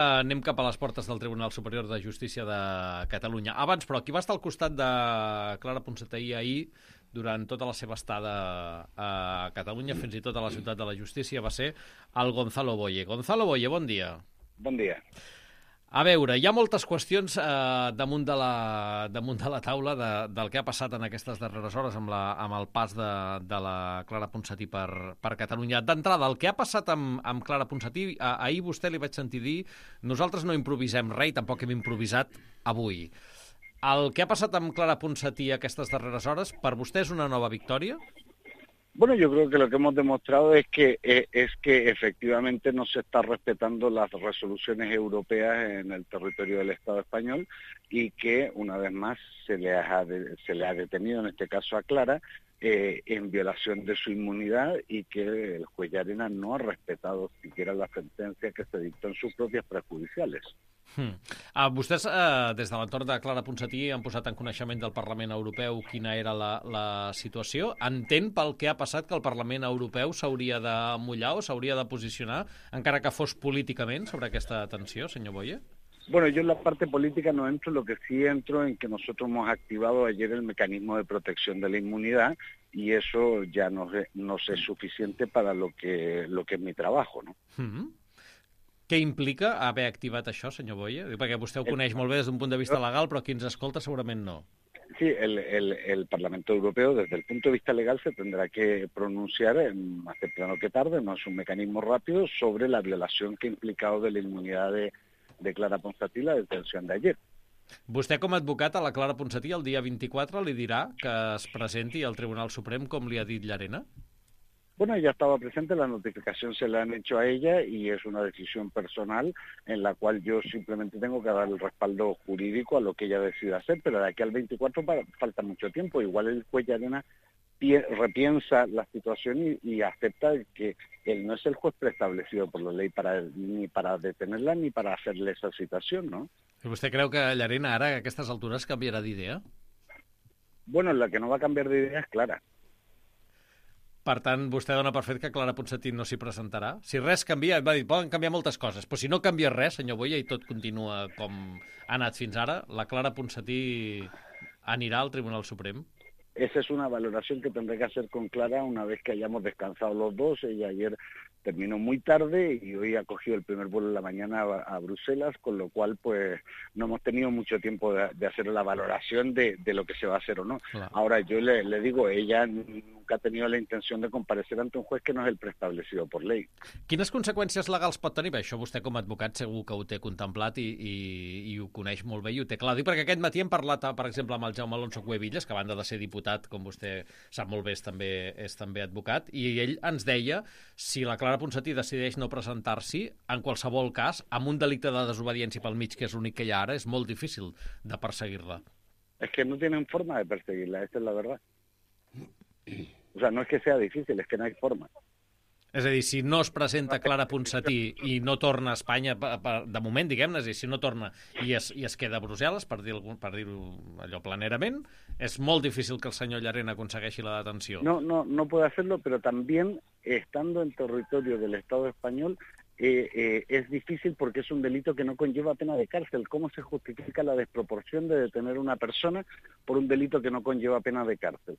Anem cap a les portes del Tribunal Superior de Justícia de Catalunya. Abans, però, qui va estar al costat de Clara Ponsatí ahir durant tota la seva estada a Catalunya, fins i tot a la ciutat de la justícia, va ser el Gonzalo Boye. Gonzalo Boye, bon dia. Bon dia. A veure, hi ha moltes qüestions damunt de la taula del que ha passat en aquestes darreres hores amb el pas de la Clara Ponsatí per Catalunya. D'entrada, el que ha passat amb Clara Ponsatí, ahir vostè li vaig sentir dir nosaltres no improvisem res i tampoc hem improvisat avui. El que ha passat amb Clara Ponsatí aquestes darreres hores, per vostè és una nova victòria? Bueno, yo creo que lo que hemos demostrado es que efectivamente no se está respetando las resoluciones europeas en el territorio del Estado español y que una vez más se le ha detenido, en este caso a Clara, en violación de su inmunidad y que el juez Llarena no ha respetado siquiera la sentencia que se dictó en sus propias prejudiciales. Vostès, des de l'entorn de Clara Ponsatí, han posat en coneixement del Parlament Europeu quina era la situació. Entén pel que ha passat que el Parlament Europeu s'hauria de mullar o s'hauria de posicionar, encara que fos políticament, sobre aquesta detenció, senyor Boye? Bueno, yo en la parte política no entro, lo que sí entro en que nosotros hemos activado ayer el mecanismo de protección de la inmunidad y eso ya nos es suficiente para lo que es mi trabajo, ¿no? Què implica haver activat això, senyor Boye? Perquè vostè ho coneix molt bé des d'un punt de vista legal, però qui ens escolta segurament no. Sí, el Parlamento Europeo, desde el punto de vista legal, se tendrá que pronunciar más temprano que tarde, no es un mecanismo rápido, sobre la violación que ha implicado de la inmunidad de Clara Ponsatí la detención de ayer. Vostè, com a advocat a la Clara Ponsatí, el dia 24 li dirà que es presenti al Tribunal Suprem, com li ha dit Llarena? Bueno, ella estaba presente, la notificación se la han hecho a ella y es una decisión personal en la cual yo simplemente tengo que dar el respaldo jurídico a lo que ella decida hacer, pero de aquí al 24 falta mucho tiempo. Igual el juez Llarena repiensa la situación y acepta que él no es el juez preestablecido por la ley ni para detenerla ni para hacerle esa citación, ¿no? ¿Vostè creu que Llarena ara, a aquestes altures, canviarà d'idea? Bueno, la que no va a cambiar de idea es Clara. Per tant, vostè dona per fet que Clara Ponsatí no s'hi presentarà? Si res canvia, va dir, poden canviar moltes coses, però si no canvia res, senyor Boye, i tot continua com ha anat fins ara, la Clara Ponsatí anirà al Tribunal Suprem? Esa es una valoración que tendré que hacer con Clara una vez que hayamos descansado los dos. Ella ayer terminó muy tarde y hoy ha cogido el primer vuelo en la mañana a Bruselas, con lo cual pues no hemos tenido mucho tiempo de hacer la valoración de lo que se va a hacer o no. Claro. Ahora yo le digo, ella nunca ha tenido la intención de comparecer ante un juez que no és el preestablecido por ley. Quines conseqüències legals pot tenir? Bé, això vostè com a advocat segur que ho té contemplat i ho coneix molt bé i ho té clar. Dic perquè aquest matí hem parlat, per exemple, amb el Jaume Alonso Cuevillas, que a banda de ser diputat, com vostè sap molt bé, és també advocat, i ell ens deia si la Clara Ponsatí decideix no presentar-s'hi, en qualsevol cas, amb un delicte de desobediència pel mig, que és l'únic que hi ha ara, és molt difícil de perseguir-la. Es que no tienen forma de perseguirla, esta es la verdad. O sea, no es que sea difícil, es que no hay forma. És a dir, si no es presenta Clara Ponsatí i no torna a Espanya, de moment, diguem-ne, és a dir, si no torna i es queda a Brussel·les, per dir-ho allò planerament, es molt difícil que el senyor Llarena aconsegueixi la detenció. No puede hacerlo, pero también, estando en territorio del Estado español, es difícil porque es un delito que no conlleva pena de cárcel. ¿Cómo se justifica la desproporción de detener a una persona por un delito que no conlleva pena de cárcel?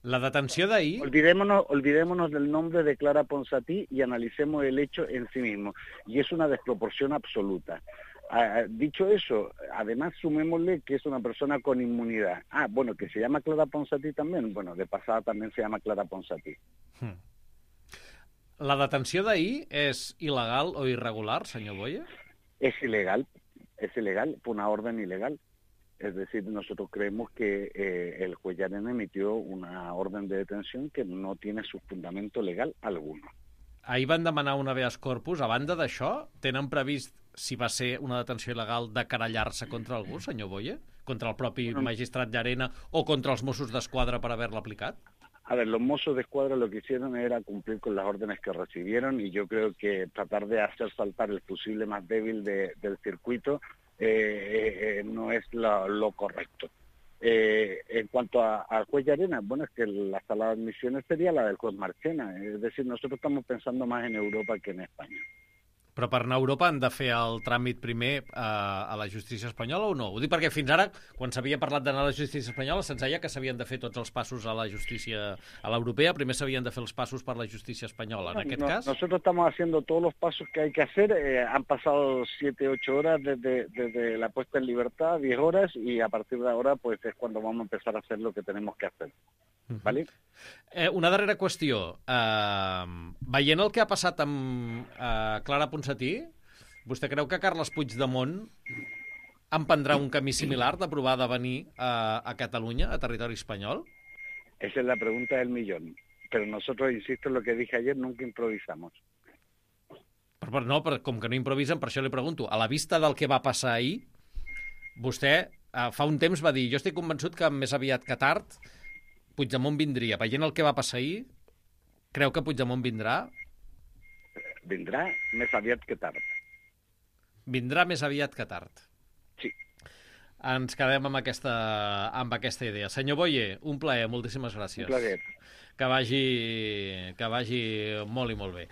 La detenció d'ahir... Olvidémonos del nombre de Clara Ponsatí y analicemos el hecho en sí mismo. Y es una desproporción absoluta. Dicho eso, además sumémosle que es una persona con inmunidad. Bueno, que se llama Clara Ponsatí también. Bueno, de pasada también se llama Clara Ponsatí. La detenció d'ahir és il·legal o irregular, senyor Boye? Es ilegal, por una orden ilegal. Es decir, nosotros creemos que el juez Llarena emitió una orden de detención que no tiene su fundamento legal alguno. Ahir van demanar un habeas corpus. A banda d'això, tenen previst, si va ser una detenció il·legal, de querellar-se contra algú, senyor Boye? Contra el propi magistrat Llarena o contra els Mossos d'Esquadra per haver-la aplicat? A ver, los Mossos de Escuadra lo que hicieron era cumplir con las órdenes que recibieron y yo creo que tratar de hacer saltar el fusible más débil del circuito no es lo correcto. En cuanto al juez Llarena, bueno, es que la sala de admisiones sería la del juez Marchena, es decir, nosotros estamos pensando más en Europa que en España. Però per anar a Europa han de fer el tràmit primer a la justícia espanyola o no? Ho dic perquè fins ara, quan s'havia parlat d'anar a la justícia espanyola, se'ns deia que s'havien de fer tots els passos a la justícia a l'europea, primer s'havien de fer els passos per la justícia espanyola. En aquest cas... Nosotros estamos haciendo todos los pasos que hay que hacer. Han pasado 7, 8 horas desde la puesta en libertad, 10 horas, y a partir de ahora pues es cuando vamos a empezar a hacer lo que tenemos que hacer. ¿Vale? Una darrera qüestió. Veient el que ha passat amb Clara Ponsatí, vostè creu que Carles Puigdemont emprendrà un camí similar de provar de venir a Catalunya, a territori espanyol? Esa es la pregunta del millón. Pero nosotros, insisto en lo que dije ayer, nunca improvisamos. No, com que no improvisen, per això li pregunto. A la vista del que va passar ahir, vostè fa un temps va dir jo estic convençut que més aviat que tard Puigdemont vindria. Veient el que va passar ahir, creu que Puigdemont vindrà? Vindrà més aviat que tard. Vindrà més aviat que tard. Sí. Ens quedem amb aquesta idea. Senyor Boye, un plaer, moltíssimes gràcies. Un plaer. Que vagi molt i molt bé.